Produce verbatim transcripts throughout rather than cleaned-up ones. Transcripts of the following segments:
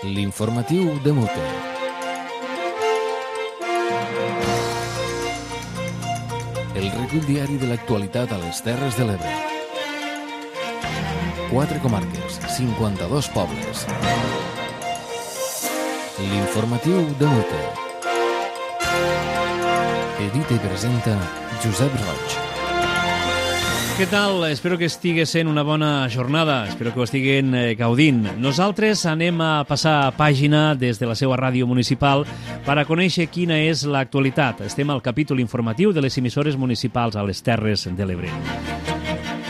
L'informatiu de Mute. El recull diari de l'actualitat a les Terres de l'Ebre. Quatre comarques, cinquanta-dos pobles. L'informatiu de Mute. Edita i presenta Josep Roig. Què tal? Espero que estigui sent una bona jornada. Espero que ho estiguin gaudint. Nosaltres anem a passar pàgina des de la seva ràdio municipal per a conèixer quina és l'actualitat. Estem al capítol informatiu de les emissores municipals a les Terres de l'Ebre.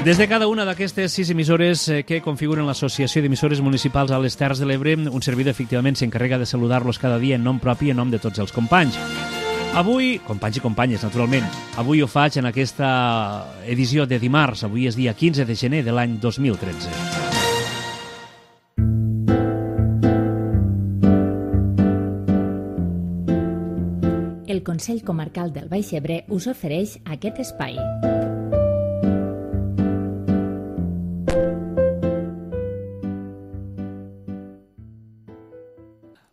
Des de cada una d'aquestes sis emissores que configuren l'Associació d'Emissores Municipals a les Terres de l'Ebre, un servidor efectivament s'encarrega de saludar-los cada dia en nom propi i en nom de tots els companys. Avui, companys i companyes, naturalment, avui ho faig en aquesta edició de dimarts. Avui és dia quinze de gener de l'any dos mil tretze. El Consell Comarcal del Baix Ebre us ofereix aquest espai.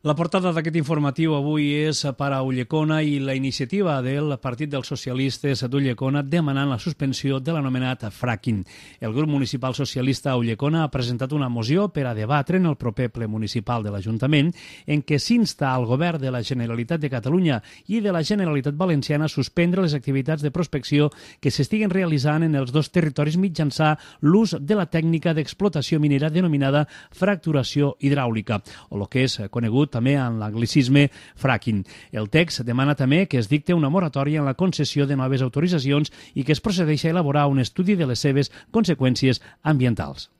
La portada d'aquest informatiu avui és per a Ulldecona i la iniciativa del Partit dels Socialistes d'Ulldecona demanant la suspensió de l'anomenat fracking. El grup municipal socialista a Ulldecona ha presentat una moció per a debatre en el proper ple municipal de l'Ajuntament en què s'insta al govern de la Generalitat de Catalunya i de la Generalitat Valenciana a suspendre les activitats de prospecció que s'estiguen realitzant en els dos territoris mitjançant l'ús de la tècnica d'explotació minera denominada fracturació hidràulica, o el que és conegut també en l'anglicisme fracking. El text demana també que es dicte una moratòria en la concessió de noves autoritzacions i que es procedeixi a elaborar un estudi de les seves conseqüències ambientals.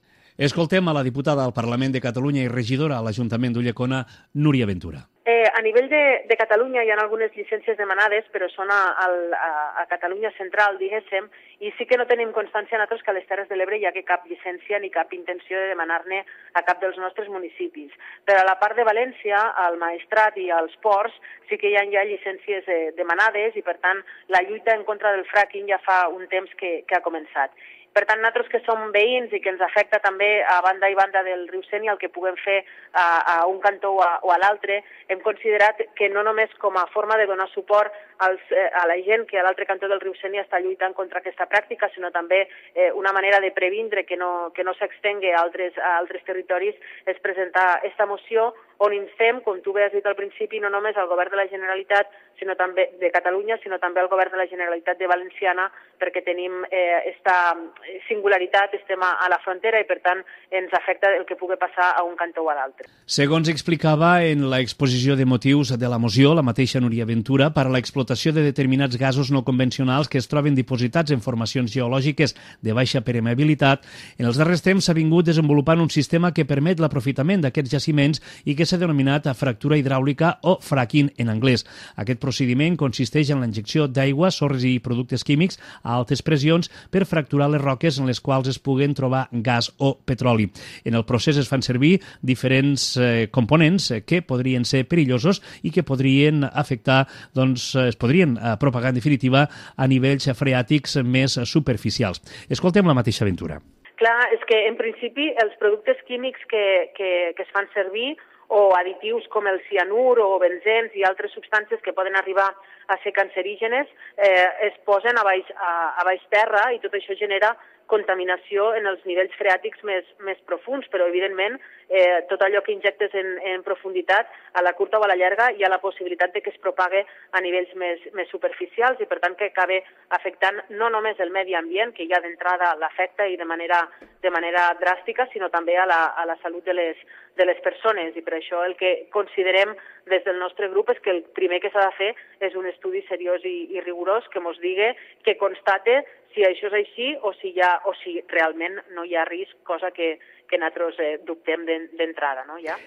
Escoltem a la diputada al Parlament de Catalunya i regidora a l'Ajuntament d'Ulldecona, Núria Ventura. Eh, a nivell de, de Catalunya hi ha algunes llicències demanades, però són a, a, a Catalunya central, diguéssim, i sí que no tenim constància nosaltres que a les Terres de l'Ebre hi ha cap llicència ni cap intenció de demanar-ne a cap dels nostres municipis. Però a la part de València, al Maestrat i als ports, sí que hi ha ja llicències eh, demanades i, per tant, la lluita en contra del fracking ja fa un temps que, que ha començat. Per tant, nosaltres que som veïns i que ens afecta també a banda i banda del riu Sénia el que puguem fer a, a un cantó o a, o a l'altre, hem considerat que no només com a forma de donar suport als, eh, a la gent que a l'altre cantó del riu Sénia està lluitant contra aquesta pràctica, sinó també eh, una manera de previndre que no, que no s'extengui a altres, a altres territoris, és presentar aquesta moció on instem, com tu bé has dit al principi, no només al govern de la Generalitat sinó també de Catalunya, sinó també al govern de la Generalitat de Valenciana, perquè tenim aquesta eh, singularitat, estem a, a la frontera i, per tant, ens afecta el que pugui passar a un cantó o a l'altre. Segons explicava en l'exposició de motius de la moció, la mateixa Núria Ventura, per a l'explotació de determinats gasos no convencionals que es troben dipositats en formacions geològiques de baixa permeabilitat, en els darrers temps s'ha vingut desenvolupant un sistema que permet l'aprofitament d'aquests jaciments i que s'ha denominat fractura hidràulica o fracking en anglès. Aquest procediment consisteix en la injecció d'aigua, sorres i productes químics a altes pressions per fracturar les roques en les quals es puguen trobar gas o petroli. En el procés es fan servir diferents eh, components que podrien ser perillosos i que podrien afectar, doncs, es podrien eh, propagar en definitiva a nivells freàtics més superficials. Escoltem la mateixa aventura. Clar, és que en principi els productes químics que, que, que es fan servir o additius com el cianur o benzens i altres substàncies que poden arribar a ser cancerígenes eh, es posen a baix, a, a baix terra i tot això genera contaminació en els nivells freàtics més, més profuns, però evidentment eh, tot allò que injectes en, en profunditat, a la curta o a la llarga, hi ha la possibilitat de que es propague a nivells més, més superficials i per tant que acabe afectant no només el medi ambient, que ja d'entrada l'afecta i de manera, de manera dràstica, sinó també a la, a la salut de les, de les persones, i per això el que considerem des del nostre grup és que el primer que s'ha de fer és un estudi seriós i, i rigorós que mos digui, que constate si això és així o si, ha, o si realment no hi ha risc, cosa que, que nosaltres eh, dubtem d'entrada, no? Ja?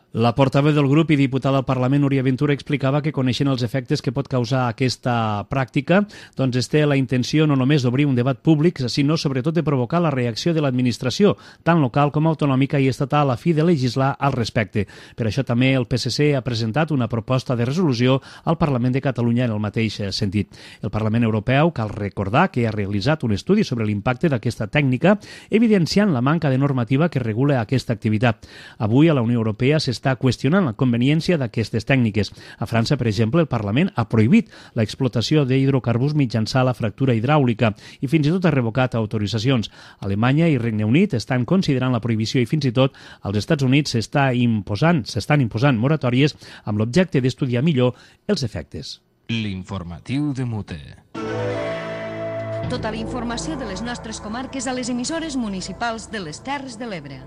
La portaveu del grup i diputada al Parlament, Núria Ventura, explicava que coneixent els efectes que pot causar aquesta pràctica, doncs es té la intenció no només d'obrir un debat públic, sinó sobretot de provocar la reacció de l'administració, tant local com autonòmica i estatal, a fi de legislar al respecte. Per això també el P S C ha presentat una proposta de resolució al Parlament de Catalunya en el mateix sentit. El Parlament Europeu, cal recordar que ha realitzat un estudi sobre l'impacte d'aquesta tècnica, evidenciant la manca de normativa que regula aquesta activitat. Avui a la Unió Europea s'està s'està qüestionant la conveniència d'aquestes tècniques. A França, per exemple, el Parlament ha prohibit l'explotació d'hidrocarburs mitjançant la fractura hidràulica i fins i tot ha revocat autoritzacions. Alemanya i Regne Unit estan considerant la prohibició i fins i tot als Estats Units s'està imposant, s'estan imposant moratòries amb l'objecte d'estudiar millor els efectes. L'informatiu de Mute. Tota la informació de les nostres comarques a les emissores municipals de les Terres de l'Ebre.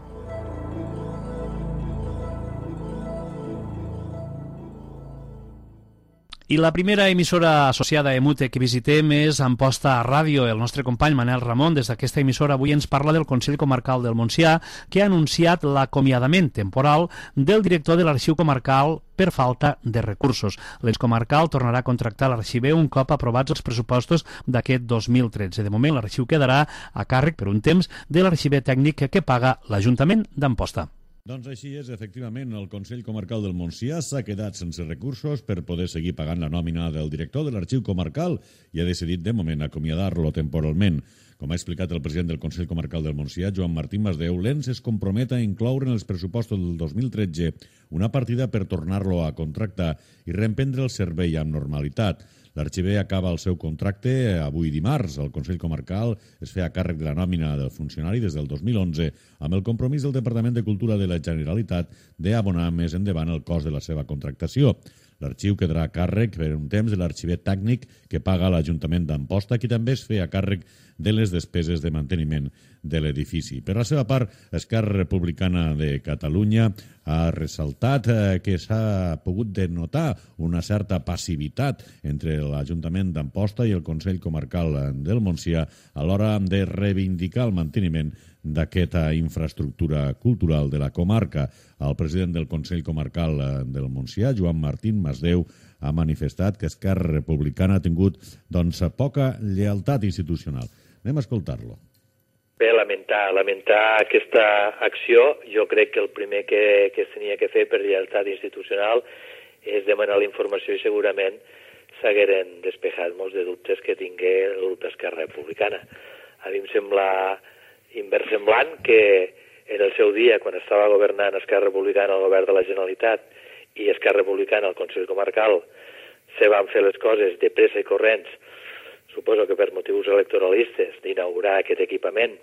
I la primera emissora associada a Emute que visitem és Amposta Ràdio. El nostre company Manel Ramon, des d'aquesta emissora, avui ens parla del Consell Comarcal del Montsià, que ha anunciat l'acomiadament temporal del director de l'Arxiu Comarcal per falta de recursos. L'ens comarcal tornarà a contractar l'arxiver un cop aprovats els pressupostos d'aquest dos mil tretze. De moment, l'arxiu quedarà a càrrec per un temps de l'arxiver tècnic que paga l'Ajuntament d'Amposta. Doncs així és, efectivament, el Consell Comarcal del Montsià s'ha quedat sense recursos per poder seguir pagant la nòmina del director de l'Arxiu Comarcal i ha decidit, de moment, acomiadar-lo temporalment. Com ha explicat el president del Consell Comarcal del Montsià, Joan Martín Masdeu, l'ens es compromet a incloure en els pressupostos del dos mil tretze una partida per tornar-lo a contractar i reemprendre el servei amb normalitat. L'arxiver acaba el seu contracte avui dimarts. El Consell Comarcal es feia càrrec de la nòmina del funcionari des del dos mil onze amb el compromís del Departament de Cultura de la Generalitat d'abonar més endavant el cost de la seva contractació. L'arxiu quedarà a càrrec per un temps de l'arxiver tècnic que paga l'Ajuntament d'Amposta, qui també es feia càrrec de les despeses de manteniment de l'edifici. Per la seva part, Esquerra Republicana de Catalunya ha ressaltat que s'ha pogut denotar una certa passivitat entre l'Ajuntament d'Amposta i el Consell Comarcal del Montsià a l'hora de reivindicar el manteniment d'aquesta infraestructura cultural de la comarca. El president del Consell Comarcal del Montsià, Joan Martín Masdeu, ha manifestat que Esquerra Republicana ha tingut doncs, poca lleialtat institucional. Anem a escoltar-lo. Bé, lamentar, lamentar aquesta acció. Jo crec que el primer que, que es tenia que fer per lleialtat institucional és demanar la informació i segurament s'hagueren despejat molts de dubtes que tingué el grup d'Esquerra Republicana. A mi em sembla inversemblant que en el seu dia, quan estava governant Esquerra Republicana al govern de la Generalitat i Esquerra Republicana al Consell Comarcal, se van fer les coses de pressa i corrents, suposo que per motius electoralistes, d'inaugurar aquest equipament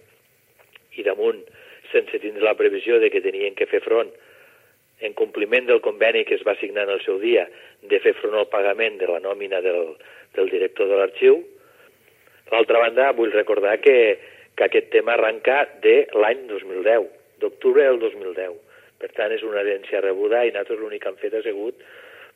i damunt, sense tindre la previsió de que tenien que fer front, en compliment del conveni que es va signar en el seu dia, de fer front al pagament de la nòmina del, del director de l'arxiu. D'altra banda, vull recordar que, que aquest tema arrenca de l'any dos mil deu, d'octubre del dos mil deu. Per tant, és una herència rebuda i nosaltres l'únic que han fet ha sigut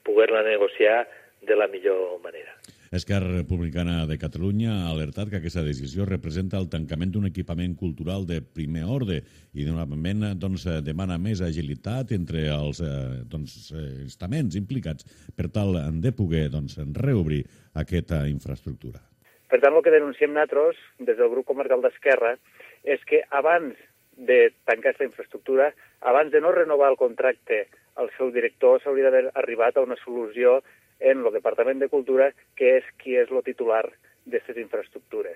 poder-la negociar de la millor manera. Esquerra Republicana de Catalunya ha alertat que aquesta decisió representa el tancament d'un equipament cultural de primer ordre i normalment doncs, demana més agilitat entre els doncs, estaments implicats per tal de poder doncs, reobrir aquesta infraestructura. Per tant, el que denunciem nosaltres, des del grup comarcal d'Esquerra, és que abans de tancar aquesta infraestructura, abans de no renovar el contracte al seu director, s'hauria d'haver arribat a una solució en el Departament de Cultura, que és qui és el titular d'aquestes infraestructures.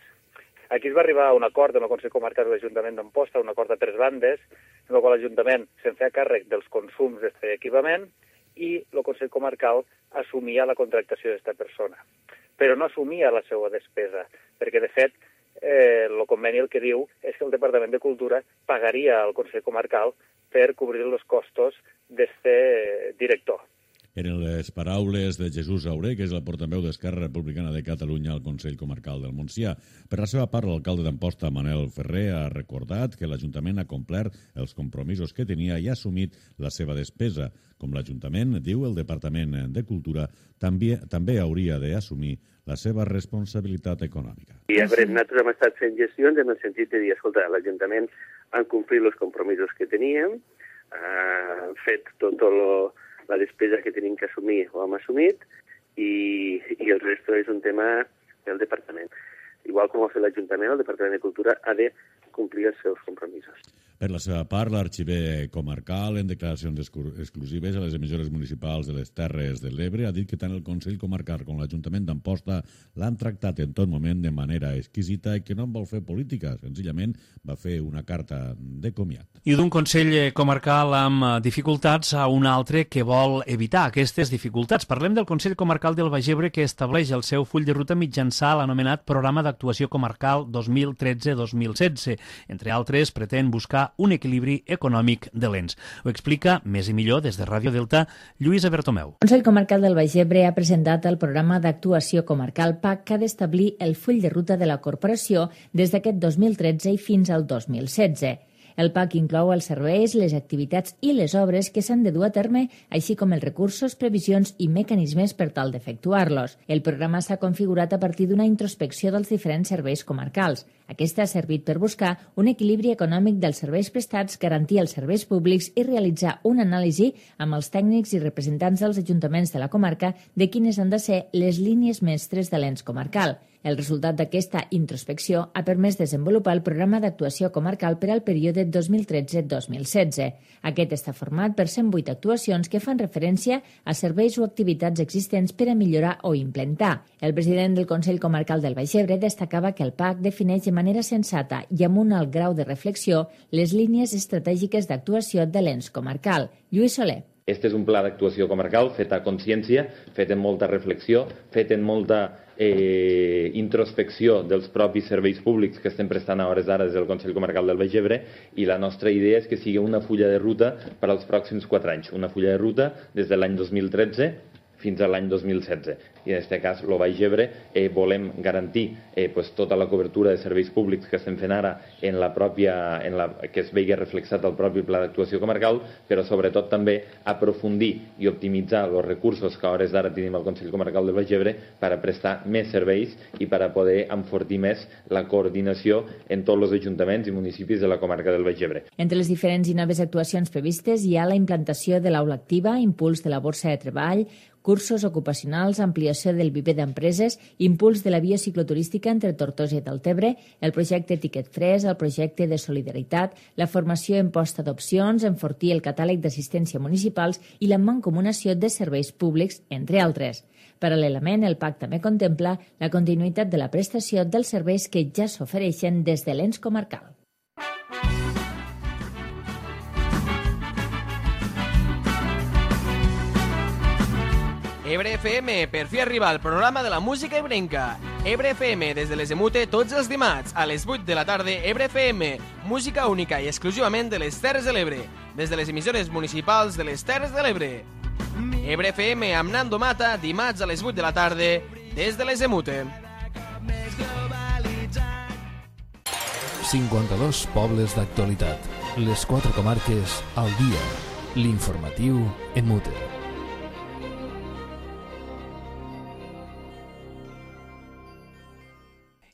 Aquí es va arribar a un acord en el Consell Comarcal de l'Ajuntament d'Amposta, un acord a tres bandes, en el qual l'Ajuntament se'n feia càrrec dels consums d'aquest equipament i el Consell Comarcal assumia la contractació d'aquesta persona. Però no assumia la seva despesa, perquè, de fet, eh, el conveni el que diu és que el Departament de Cultura pagaria al Consell Comarcal per cobrir els costos d'aquest director. Eren les paraules de Jesús Auré, que és el portaveu d'Esquerra Republicana de Catalunya al Consell Comarcal del Montsià. Per la seva part, l'alcalde d'Amposta, Manel Ferrer, ha recordat que l'Ajuntament ha complert els compromisos que tenia i ha assumit la seva despesa. Com l'Ajuntament, diu el Departament de Cultura, també, també hauria d'assumir la seva responsabilitat econòmica. I a veure, nosaltres hem estat fent gestions en el sentit de dir, escolta, l'Ajuntament ha complit els compromisos que teníem, ha fet tot el la despesa que tenim que assumir ho hem assumit i, i el resto és un tema del departament. Igual com ho ha fet l'Ajuntament, el Departament de Cultura ha de complir els seus compromisos. Per la seva part, l'arxiver comarcal, en declaracions exclusives a les emissores municipals de les Terres de l'Ebre, ha dit que tant el Consell Comarcal com l'Ajuntament d'Amposta l'han tractat en tot moment de manera exquisita i que no en vol fer política. Senzillament va fer una carta de comiat. I d'un Consell Comarcal amb dificultats a un altre que vol evitar aquestes dificultats. Parlem del Consell Comarcal del Baix Ebre, que estableix el seu full de ruta mitjançant l'anomenat Programa d'Actuació Comarcal dos mil tretze dos mil setze. Entre altres, pretén buscar un equilibri econòmic de l'ens. Ho explica més i millor des de Ràdio Delta Lluïsa Bertomeu. El Consell Comarcal del Baix Ebre ha presentat el programa d'actuació comarcal P A C que ha d'establir el full de ruta de la corporació des d'aquest dos mil tretze i fins al dos mil setze. El P A C inclou els serveis, les activitats i les obres que s'han de dur a terme, així com els recursos, previsions i mecanismes per tal d'efectuar-los. El programa s'ha configurat a partir d'una introspecció dels diferents serveis comarcals. Aquesta ha servit per buscar un equilibri econòmic dels serveis prestats, garantir els serveis públics i realitzar una anàlisi amb els tècnics i representants dels ajuntaments de la comarca de quines han de ser les línies mestres de l'ens comarcal. El resultat d'aquesta introspecció ha permès desenvolupar el programa d'actuació comarcal per al període dos mil tretze dos mil setze. Aquest està format per cent vuit actuacions que fan referència a serveis o activitats existents per a millorar o implementar. El president del Consell Comarcal del Baix Ebre destacava que el P A C defineix de manera sensata i amb un alt grau de reflexió les línies estratègiques d'actuació de l'ens comarcal. Lluís Soler. Este és un pla d'actuació comarcal fet a consciència, fet amb molta reflexió, fet amb molta eh, introspecció dels propis serveis públics que estem prestant a hores d'ara des del Consell Comarcal del Baix Ebre, i la nostra idea és que sigui una fulla de ruta per als pròxims quatre anys, una fulla de ruta des de l'any dos mil tretze fins a l'any dos mil setze. I en aquest cas, el Baix Ebre, eh, volem garantir eh, pues, tota la cobertura de serveis públics que estem fent ara en la pròpia, en la, que es vegi reflexat al propi pla d'actuació comarcal, però sobretot també aprofundir i optimitzar els recursos que a hores d'ara tenim al Consell Comarcal del Baix Ebre per a prestar més serveis i per a poder enfortir més la coordinació en tots els ajuntaments i municipis de la comarca del Baix Ebre. Entre les diferents i noves actuacions previstes hi ha la implantació de l'aula activa, impuls de la borsa de treball, cursos ocupacionals, ampliació del viver d'empreses, impuls de la via cicloturística entre Tortosa i Deltebre, el projecte Tiquet Fresc, el projecte de solidaritat, la formació en posta d'opcions, enfortir el catàleg d'assistència municipals i la mancomunació de serveis públics, entre altres. Paral·lelament, el P A C també contempla la continuïtat de la prestació dels serveis que ja s'ofereixen des de l'ens comarcal. Ebre F M, per fi arriba el programa de la música ebrenca. Ebre F M, des de les Emute, tots els dimarts, a les vuit de la tarda, Ebre F M, música única i exclusivament de les Terres de l'Ebre, des de les emissores municipals de les Terres de l'Ebre. Ebre F M amb Nando Mata, dimarts a les vuit de la tarda, des de les Emute. cinquanta-dos pobles d'actualitat. Les quatre comarques al dia. L'informatiu en Mute.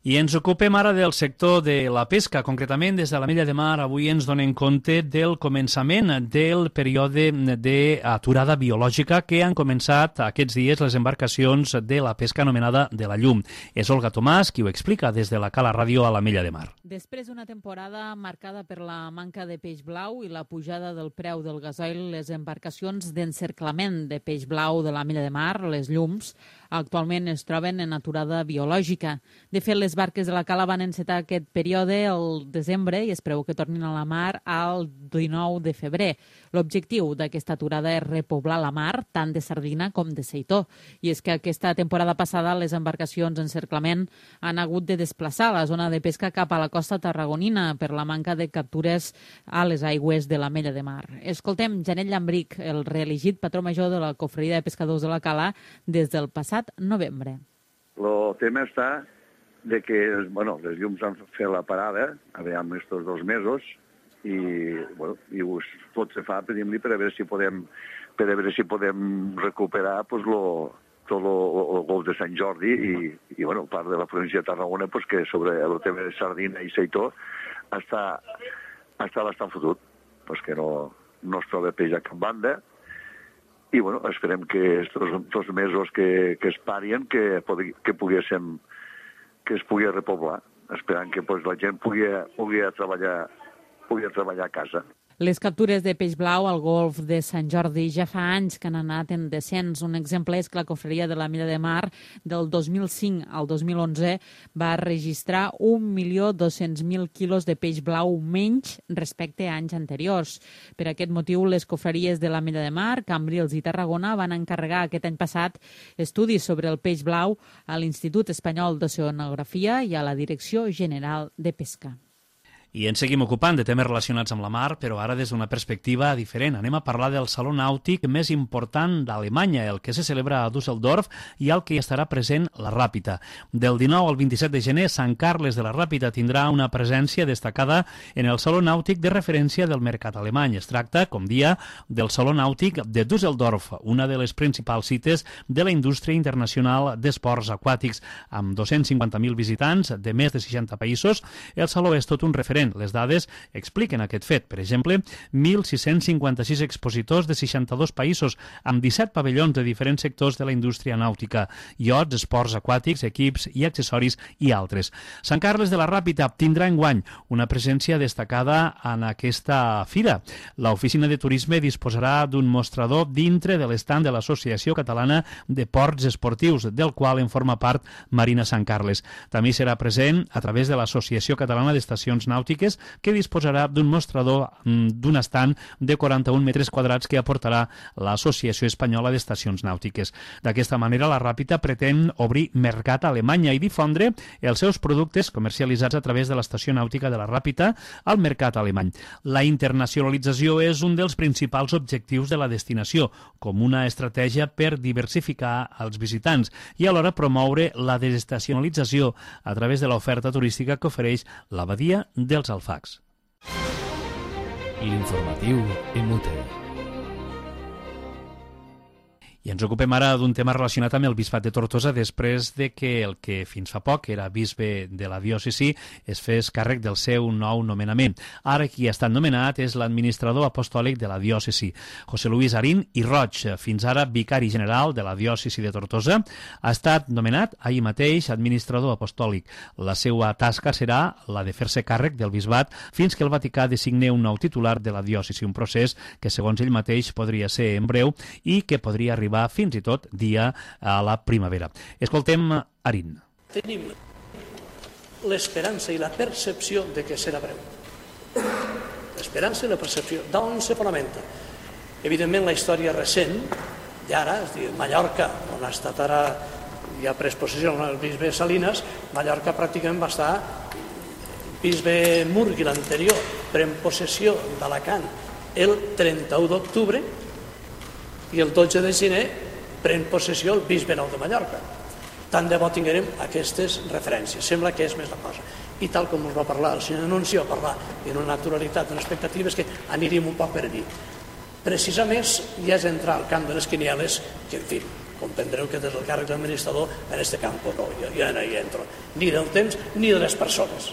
I ens ocupem ara del sector de la pesca. Concretament, des de l'Ametlla de Mar, avui ens donem compte del començament del període d'aturada biològica que han començat aquests dies les embarcacions de la pesca anomenada de la llum. És Olga Tomàs qui ho explica des de la Cala Ràdio a l'Ametlla de Mar. Després d'una temporada marcada per la manca de peix blau i la pujada del preu del gasoil, les embarcacions d'encerclament de peix blau de l'Ametlla de Mar, les llums, actualment es troben en aturada biològica. De fet, les barques de la Cala van encetar aquest període el desembre i es preveu que tornin a la mar al dinou de febrer. L'objectiu d'aquesta aturada és repoblar la mar, tant de sardina com de seitó. I és que aquesta temporada passada les embarcacions d'encerclament han hagut de desplaçar la zona de pesca cap a la costa tarragonina per la manca de captures a les aigües de l'Ametlla de Mar. Escoltem Janet Llambric, el reelegit patró major de la Cofreria de Pescadors de la Cala des del passat novembre. El tema està de que, bueno, les llums han fet la parada, aviam estos dos mesos, i, bueno, i us, tot se fa, pedim-li per a veure si podem, per a veure si podem recuperar, pues, lo, tot el gol de Sant Jordi i, i, bueno, part de la província de Tarragona, pues, que sobre el tema de sardina i seitó està, està bastant fotut, pues, que no, no es troba peix a cap banda. I, bueno, esperem que estos mesos que, que es parien, que, que poguéssim que es pugui repoblar, esperant que pues, la gent pugui, pugui treballar poder treballar a casa. Les captures de peix blau al golf de Sant Jordi ja fa anys que han anat en descens. Un exemple és que la cofreria de la Milla de Mar del dos mil cinc al dos mil onze va registrar un milió dos-cents mil quilos de peix blau menys respecte a anys anteriors. Per aquest motiu, les cofreries de la Milla de Mar, Cambrils i Tarragona van encarregar aquest any passat estudis sobre el peix blau a l'Institut Espanyol d'Oceanografia i a la Direcció General de Pesca. I ens seguim ocupant de temes relacionats amb la mar, però ara des d'una perspectiva diferent. Anem a parlar del Saló Nàutic més important d'Alemanya, el que se celebra a Düsseldorf i al que hi estarà present la Ràpita. Del dinou al vint-i-set de gener, Sant Carles de la Ràpita tindrà una presència destacada en el Saló Nàutic de referència del mercat alemany. Es tracta, com dia, del Saló Nàutic de Düsseldorf, una de les principals cites de la indústria internacional d'esports aquàtics. Amb dos-cents cinquanta mil visitants de més de seixanta països, el saló és tot un referent. Les dades expliquen aquest fet. Per exemple, mil sis-cents cinquanta-sis expositors de seixanta-dos països, amb disset pavellons de diferents sectors de la indústria nàutica, iots, esports aquàtics, equips i accessoris i altres. Sant Carles de la Ràpita tindrà enguany una presència destacada en aquesta fira. L'oficina de turisme disposarà d'un mostrador dintre de l'estand de l'Associació Catalana de Ports Esportius, del qual en forma part Marina Sant Carles. També serà present a través de l'Associació Catalana d'Estacions Nàutiques, que disposarà d'un mostrador d'un estand de quaranta-un metres quadrats que aportarà l'Associació Espanyola d'Estacions Nàutiques. D'aquesta manera, la Ràpita pretén obrir mercat a Alemanya i difondre els seus productes comercialitzats a través de l'Estació Nàutica de la Ràpita al mercat alemany. La internacionalització és un dels principals objectius de la destinació, com una estratègia per diversificar els visitants i alhora promoure la desestacionalització a través de l'oferta turística que ofereix l'abadia dels Alfacs. L'informatiu en Mute. I ens ocupem ara d'un tema relacionat amb el bisbat de Tortosa després de que el que fins fa poc era bisbe de la diòcesi es fes càrrec del seu nou nomenament. Ara qui ha estat nomenat és l'administrador apostòlic de la diòcesi, José Luis Arín i Roig, fins ara vicari general de la diòcesi de Tortosa. Ha estat nomenat ahir mateix administrador apostòlic. La seva tasca serà la de fer-se càrrec del bisbat fins que el Vaticà designi un nou titular de la diòcesi, un procés que segons ell mateix podria ser en breu i que podria arribar fins i tot dia a la primavera. Escoltem Arín. Tenim l'esperança i la percepció de que serà breu. L'esperança i la percepció. D'on se fonamenta? Evidentment, la història recent, d'ara, és a dir, Mallorca, on ha estat ara, ja pres possessió el bisbe Salinas, Mallorca pràcticament va estar, el bisbe Murgui, l'anterior, pren possessió d'Alacant el trenta-u d'octubre, i el dotze de gener pren possessió el bisbe nou de Mallorca. Tant de bo tinguem aquestes referències. Sembla que és més la cosa. I tal com us va parlar el senyor Anuncio, va parlar d'una naturalitat, d'unes expectatives que aniríem un poc per allí. Precisament ja és entrar al camp de les quinieles, que en fi, comprendreu que des del càrrec d'administrador en aquest camp no, jo no hi entro, ni del temps ni de les persones.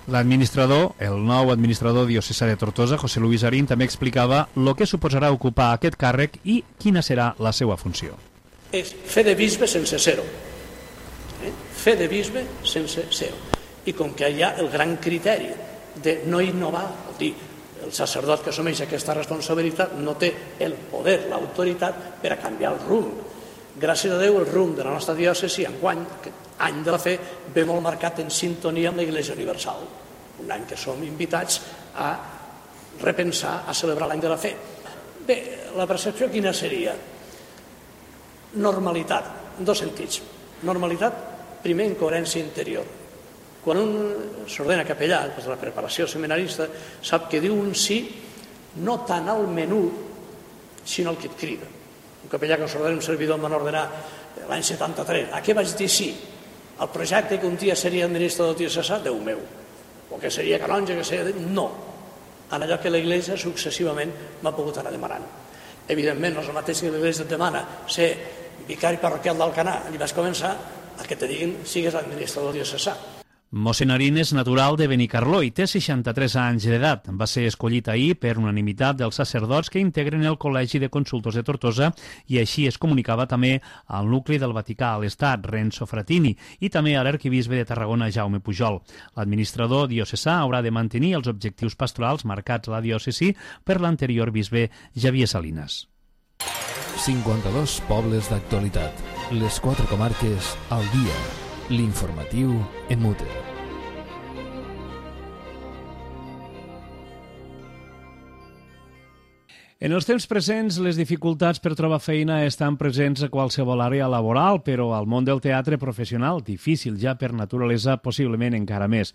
L'administrador, el nou administrador diocesà de Tortosa, José Luis Arín, també explicava el que suposarà ocupar aquest càrrec i quina serà la seva funció. És fer de bisbe sense ser-ho. Eh? Fer de bisbe sense ser-ho. I com que hi ha el gran criteri de no innovar, vol dir, el sacerdot que assumeix aquesta responsabilitat no té el poder, l'autoritat per a canviar el rumb. Gràcies a Déu, el rumb de la nostra diòcesi enguany, aquest any de la fe, ve molt marcat en sintonia amb l'Església Universal. Un any que som invitats a repensar, a celebrar l'any de la fe. Bé, la percepció quina seria? Normalitat, en dos sentits. Normalitat, primer, en coherència interior. Quan un s'ordena capellà, des de la preparació seminarista, sap que diu un sí no tant al menú, sinó al que et crida. Un capellà que s'ordena, un servidor em van ordenar l'any setanta-tres. A què vaig dir sí? El projecte que un dia seria administrador diocesà, Déu meu. O que seria canonge, que seria... No. En allò que l'Església successivament m'ha pogut anar demanant. Evidentment, no és el mateix que l'Església et demana ser vicari parroquial d'Alcanar. I vas començar a que te diguin sigues administrador diocesà. Mossèn és natural de Benicarló i té seixanta-tres anys d'edat. Va ser escollit ahir per unanimitat dels sacerdots que integren el Col·legi de Consultors de Tortosa i així es comunicava també al nucli del Vaticà a l'Estat, Renzo Frattini, i també a l'arquebisbe de Tarragona, Jaume Pujol. L'administrador diocesà haurà de mantenir els objectius pastorals marcats a la diòcesi per l'anterior bisbe Javier Salinas. cinquanta-dos pobles d'actualitat. Les quatre comarques al dia. L'informatiu en Mute. En els temps presents, les dificultats per trobar feina estan presents a qualsevol àrea laboral, però al món del teatre professional, difícil ja per naturalesa, possiblement encara més.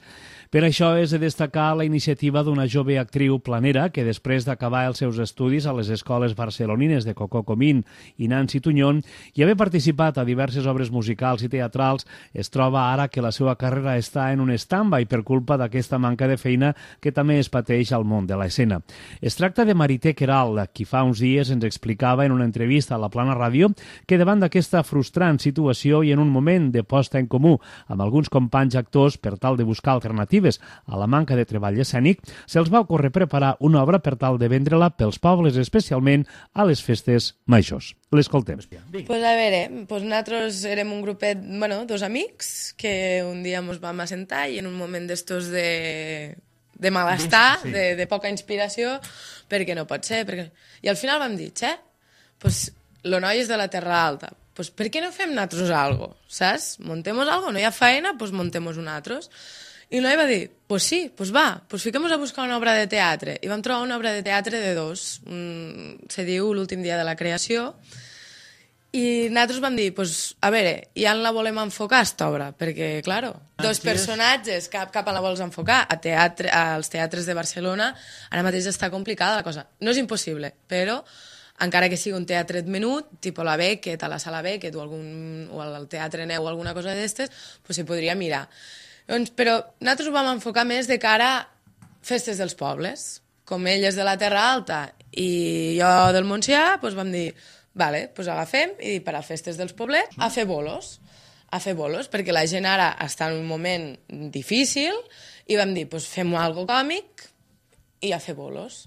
Per això és de destacar la iniciativa d'una jove actriu planera que després d'acabar els seus estudis a les escoles barcelonines de Cocó Comín i Nancy Tuñón i haver participat a diverses obres musicals i teatrals, es troba ara que la seva carrera està en un stand-by per culpa d'aquesta manca de feina que també es pateix al món de l'escena. Es tracta de Marité Queralt, qui fa uns dies ens explicava en una entrevista a la Plana Ràdio que davant d'aquesta frustrant situació i en un moment de posta en comú amb alguns companys actors per tal de buscar alternatives a la manca de treball escènic, se'ls va ocórrer preparar una obra per tal de vendre-la pels pobles, especialment a les festes majors. L'escoltem. Pues a veure, pues nosaltres érem un grupet, bueno, dos amics, que un dia ens vam assentar i en un moment d'estos de... de malestar, sí. de, de poca inspiració, perquè no pot ser. Perquè... I al final vam dir, xe, pues, lo noi és de la Terra Alta, pues, per què no fem nosaltres algo, saps? Montemos algo, no hi ha feina, pues montemos nosaltres. I el noi va dir, pues sí, pues va, pues fiquem-nos a buscar una obra de teatre. I vam trobar una obra de teatre de dos, un, se diu L'últim dia de la creació, i nosaltres vam dir, pues, a veure, i on la volem enfocar, aquesta obra? Perquè, claro, dos personatges, cap, cap on la vols enfocar? A teatre, als teatres de Barcelona ara mateix està complicada la cosa. No és impossible, però encara que sigui un teatret menut, tipus la Beckett, a la sala Beckett o, algun, o al Teatre Neu o alguna cosa d'aquestes, pues se podria mirar. Doncs, però nosaltres ho vam enfocar més de cara a festes dels pobles. Com ell és de la Terra Alta i jo del Montsià, doncs vam dir, vale, doncs agafem i per a festes dels poblets a fer bolos, a fer bolos, perquè la gent ara està en un moment difícil i vam dir, doncs fem algo còmic i a fer bolos.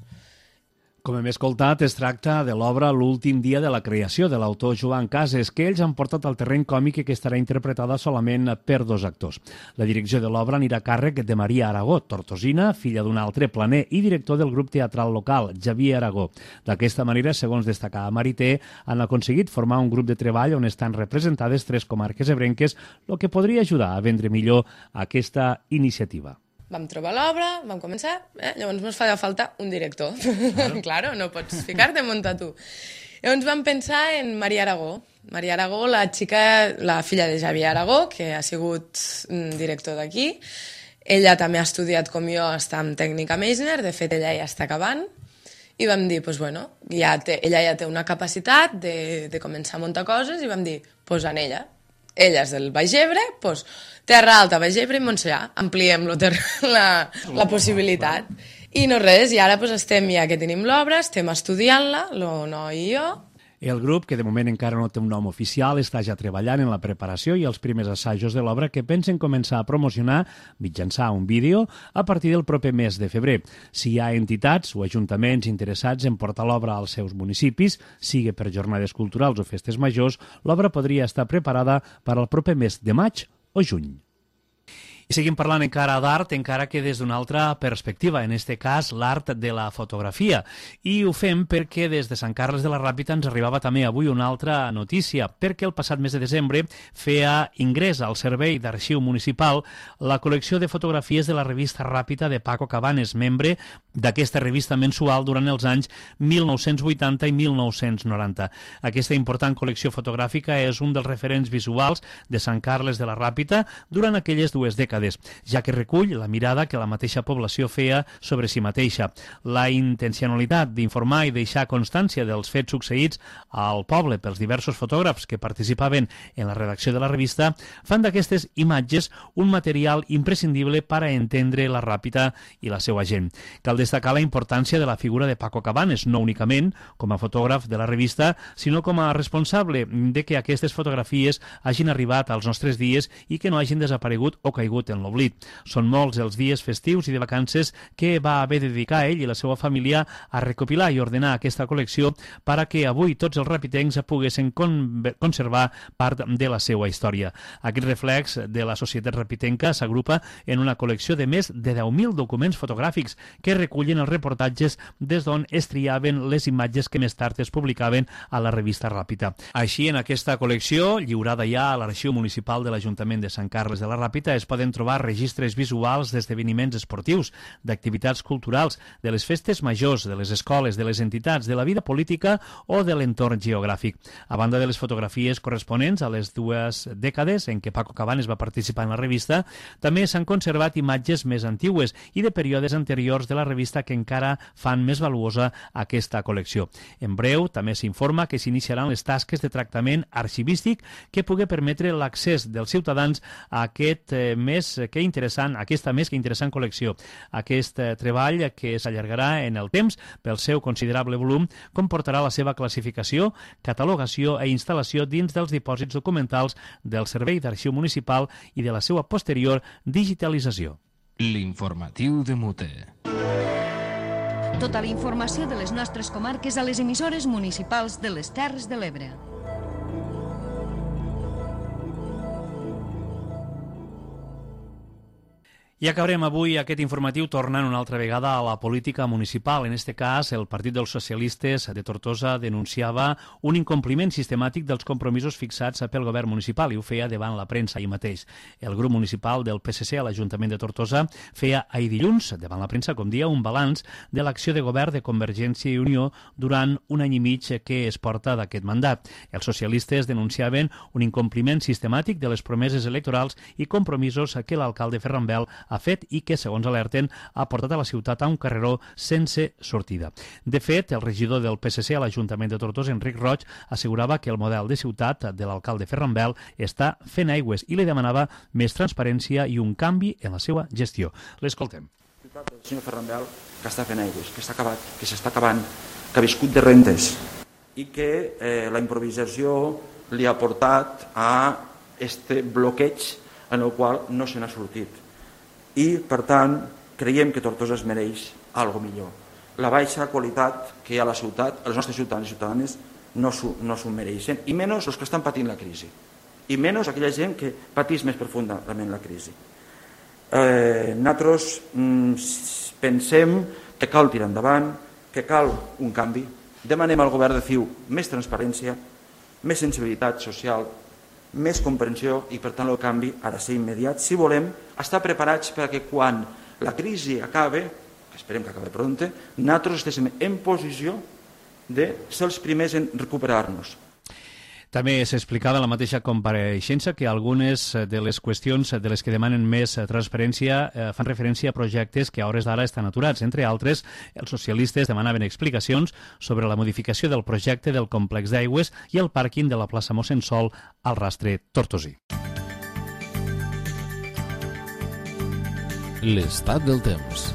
Com hem escoltat, es tracta de l'obra L'últim dia de la creació, de l'autor Joan Cases, que ells han portat al terreny còmic i que estarà interpretada solament per dos actors. La direcció de l'obra anirà a càrrec de Maria Aragó, tortosina, filla d'un altre planer i director del grup teatral local, Javier Aragó. D'aquesta manera, segons destacava Marité, han aconseguit formar un grup de treball on estan representades tres comarques ebrenques, el que podria ajudar a vendre millor aquesta iniciativa. Vam trobar l'obra, vam començar, eh? Llavors ens fa falta un director. Claro, claro, no pots ficar-te a muntar tu. Llavors vam pensar en Maria Aragó. Maria Aragó, la xica, la filla de Javier Aragó, que ha sigut director d'aquí. Ella també ha estudiat com jo, està en tècnica Meisner, de fet ella ja està acabant. I vam dir, pues bueno, ja té, ella ja té una capacitat de, de començar a muntar coses i vam dir, pues en ella. Ella és del Baix Ebre, doncs Terra Alta, Baix Ebre i Montsià. Ampliem la, la possibilitat. I no res, i ara doncs, estem, ja que tenim l'obra, estem estudiant-la, el noi i jo. El grup, que de moment encara no té un nom oficial, està ja treballant en la preparació i els primers assajos de l'obra que pensen començar a promocionar mitjançant un vídeo a partir del proper mes de febrer. Si hi ha entitats o ajuntaments interessats en portar l'obra als seus municipis, sigui per jornades culturals o festes majors, l'obra podria estar preparada per al proper mes de maig o juny. I seguim parlant encara d'art, encara que des d'una altra perspectiva, en este cas l'art de la fotografia. I ho fem perquè des de Sant Carles de la Ràpita ens arribava també avui una altra notícia, perquè el passat mes de desembre feia ingrés al Servei d'Arxiu Municipal la col·lecció de fotografies de la revista Ràpita de Paco Cabanes, membre d'aquesta revista mensual durant els anys mil nou-cents vuitanta i mil nou-cents noranta. Aquesta important col·lecció fotogràfica és un dels referents visuals de Sant Carles de la Ràpita durant aquelles dues dècades, ja que recull la mirada que la mateixa població feia sobre si mateixa. La intencionalitat d'informar i deixar constància dels fets succeïts al poble pels diversos fotògrafs que participaven en la redacció de la revista fan d'aquestes imatges un material imprescindible per a entendre la Ràpita i la seva gent. Cal destacar la importància de la figura de Paco Cabanes, no únicament com a fotògraf de la revista, sinó com a responsable de que aquestes fotografies hagin arribat als nostres dies i que no hagin desaparegut o caigut caigut en l'oblit. Són molts els dies festius i de vacances que va haver de dedicar ell i la seva família a recopilar i ordenar aquesta col·lecció per a que avui tots els rapitencs poguessin con conservar part de la seva història. Aquest reflex de la societat rapitenca s'agrupa en una col·lecció de més de deu mil documents fotogràfics que recullen els reportatges des d'on es triaven les imatges que més tard es publicaven a la revista Ràpita. Així, en aquesta col·lecció, lliurada ja a l'Arxiu Municipal de l'Ajuntament de Sant Carles de la Ràpita, es poden trobar registres visuals d'esdeveniments esportius, d'activitats culturals, de les festes majors, de les escoles, de les entitats, de la vida política o de l'entorn geogràfic. A banda de les fotografies corresponents a les dues dècades en què Paco Cabanes va participar en la revista, també s'han conservat imatges més antigues i de períodes anteriors de la revista que encara fan més valuosa aquesta col·lecció. En breu, també s'informa que s'iniciaran les tasques de tractament arxivístic que pugui permetre l'accés dels ciutadans a aquest eh, més que interessant, aquesta més que interessant col·lecció. Aquest eh, treball, que s'allargarà en el temps pel seu considerable volum, comportarà la seva classificació, catalogació i instal·lació dins dels dipòsits documentals del Servei d'Arxiu Municipal i de la seva posterior digitalització. L'informatiu de Mute. Tota la informació de les nostres comarques a les emissores municipals de les Terres de l'Ebre. I acabarem avui aquest informatiu tornant una altra vegada a la política municipal. En aquest cas, el Partit dels Socialistes de Tortosa denunciava un incompliment sistemàtic dels compromisos fixats pel govern municipal i ho feia davant la premsa ahir mateix. El grup municipal del P S C a l'Ajuntament de Tortosa feia ahir dilluns, davant la premsa, com dia, un balanç de l'acció de govern de Convergència i Unió durant un any i mig que es porta d'aquest mandat. Els socialistes denunciaven un incompliment sistemàtic de les promeses electorals i compromisos que l'alcalde Ferran Bel ha fet i que, segons alerten, ha portat a la ciutat a un carreró sense sortida. De fet, el regidor del P S C a l'Ajuntament de Tortosa, Enric Roig, assegurava que el model de ciutat de l'alcalde Ferran Bel està fent aigües i li demanava més transparència i un canvi en la seva gestió. L'escoltem. El senyor Ferran Bel, que està fent aigües, que està acabat, que s'està acabant, que ha viscut de rentes i que eh, la improvisació li ha portat a este bloqueig en el qual no se n'ha sortit. I, per tant, creiem que Tortosa es mereix algo millor. La baixa qualitat que hi ha a la ciutat, els nostres ciutadans i ciutadanes no s'ho no mereixen, i menys els que estan patint la crisi, i menys aquella gent que patís més profundament la crisi. Eh, nosaltres mm, pensem que cal tirar endavant, que cal un canvi, demanem al govern de C I U més transparència, més sensibilitat social, més comprensió i, per tant, el canvi ha de ser immediat si volem estar preparats perquè quan la crisi acabe, que esperem que acabe prompte, nosaltres estiguem en posició de ser els primers en recuperar-nos. També s'explicava en la mateixa compareixença que algunes de les qüestions de les que demanen més transparència fan referència a projectes que a hores d'ara estan aturats. Entre altres, els socialistes demanaven explicacions sobre la modificació del projecte del complex d'aigües i el pàrquing de la plaça Mossèn Sol al Rastre Tortosí. L'estat del temps.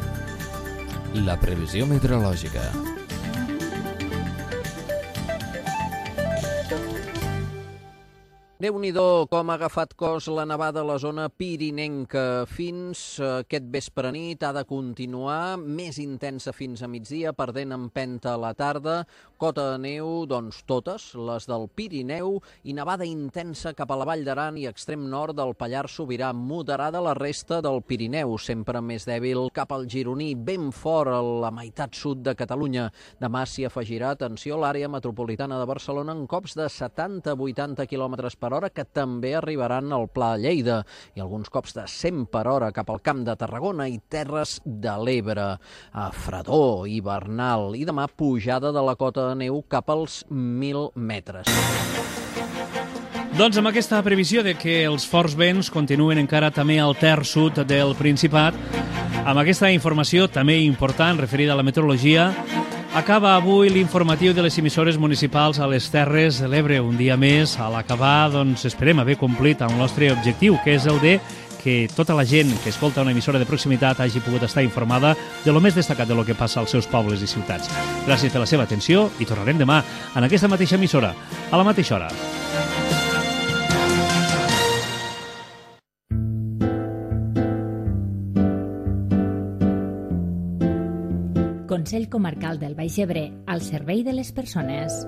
La previsió meteorològica. Déu-n'hi-do com ha agafat cos la nevada a la zona pirinenca. Fins aquest vespre nit ha de continuar, més intensa fins a migdia, perdent empenta a la tarda. Cota de neu, doncs totes, les del Pirineu, i nevada intensa cap a la Vall d'Aran i extrem nord del Pallars Sobirà, moderada la resta del Pirineu, sempre més dèbil cap al Gironí, ben fort a la meitat sud de Catalunya. Demà s'hi afegirà, atenció, l'àrea metropolitana de Barcelona en cops de setanta a vuitanta quilòmetres per hora que també arribaran al Pla de Lleida i alguns cops de cent per hora cap al Camp de Tarragona i Terres de l'Ebre, a fredor hivernal, i demà pujada de la cota de neu cap als mil metres. Doncs amb aquesta previsió de que els forts vents continuen encara també al terç sud del Principat, amb aquesta informació també important referida a la meteorologia, acaba avui l'informatiu de les emissores municipals a les Terres de l'Ebre. Un dia més, a l'acabar, doncs esperem haver complit el nostre objectiu, que és el de que tota la gent que escolta una emissora de proximitat hagi pogut estar informada de lo més destacat de lo que passa als seus pobles i ciutats. Gràcies per la seva atenció i tornarem demà en aquesta mateixa emissora, a la mateixa hora. Consell Comarcal del Baix Ebre, al servei de les persones.